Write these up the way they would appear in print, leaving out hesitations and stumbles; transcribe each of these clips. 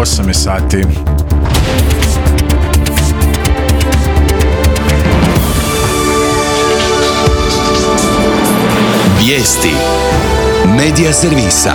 8 je sati. Vijesti Medija servisa.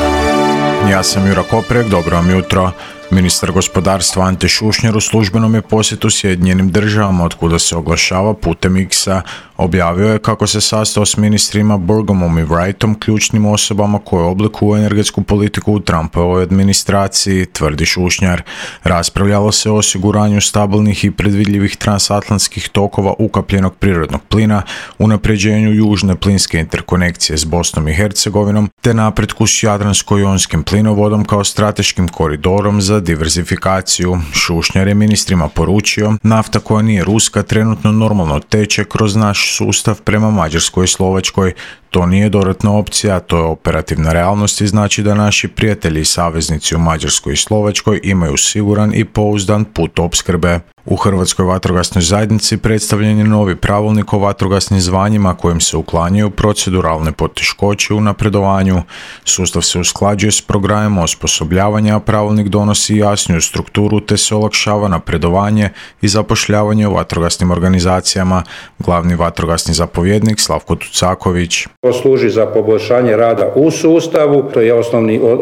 Ja sam Jura Koprek, dobro vam jutro. Ministar gospodarstva Ante Šušnjar u službenom je posjetu Sjedinjenim državama, otkuda se oglašava putem X-a. Objavio je kako se sastao s ministrima Burgumom i Wrightom, ključnim osobama koje oblikuju energetsku politiku u Trumpovoj administraciji, tvrdi Šušnjar. Raspravljalo se o osiguranju stabilnih i predvidljivih transatlantskih tokova ukapljenog prirodnog plina, unapređenju južne plinske interkonekcije s Bosnom i Hercegovinom, te napretku s Jadransko-jonskim plinovodom kao strateškim koridorom za diverzifikaciju. Šušnjar je ministrima poručio: nafta koja nije ruska trenutno normalno teče kroz naš sustav prema Mađarskoj i Slovačkoj. To nije dodatna opcija, to je operativna realnost i znači da naši prijatelji i saveznici u Mađarskoj i Slovačkoj imaju siguran i pouzdan put opskrbe. U Hrvatskoj vatrogasnoj zajednici predstavljen je novi pravilnik o vatrogasnim zvanjima kojim se uklanjaju proceduralne poteškoće u napredovanju. Sustav se usklađuje s programom osposobljavanja, a pravilnik donosi jasniju strukturu te se olakšava napredovanje i zapošljavanje u vatrogasnim organizacijama. Glavni vatrogasni zapovjednik Slavko Tucaković. To služi za poboljšanje rada u sustavu, to je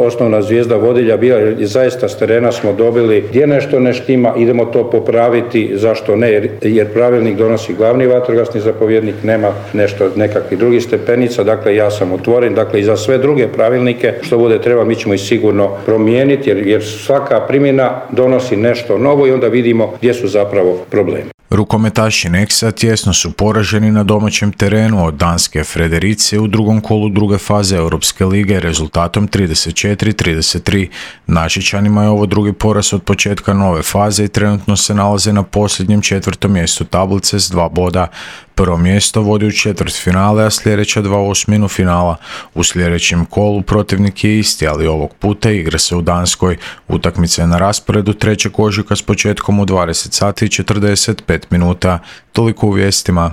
osnovna zvijezda vodilja bila, jer zaista s terena smo dobili gdje nešto ne štima, idemo to popraviti, zašto ne, jer pravilnik donosi glavni vatrogasni zapovjednik, nema nekakvih drugih stepenica, dakle ja sam otvoren, dakle i za sve druge pravilnike što bude treba mi ćemo ih sigurno promijeniti, jer svaka primjena donosi nešto novo i onda vidimo gdje su zapravo problemi. Rukometaši Nexa tjesno su poraženi na domaćem terenu od danske Frederice u drugom kolu druge faze Europske lige rezultatom 34-33. Našičanima je ovo drugi poraz od početka nove faze i trenutno se nalaze na posljednjem 4. mjestu tablice s 2 boda. Prvo mjesto vodi u četvrtfinale, a sljedeća 2 u osminu finala. U sljedećem kolu protivnik je isti, ali ovog puta igra se u Danskoj. Utakmica je na rasporedu 3. ožujka s početkom u 20 sati i 45 minuta. Toliko u vijestima.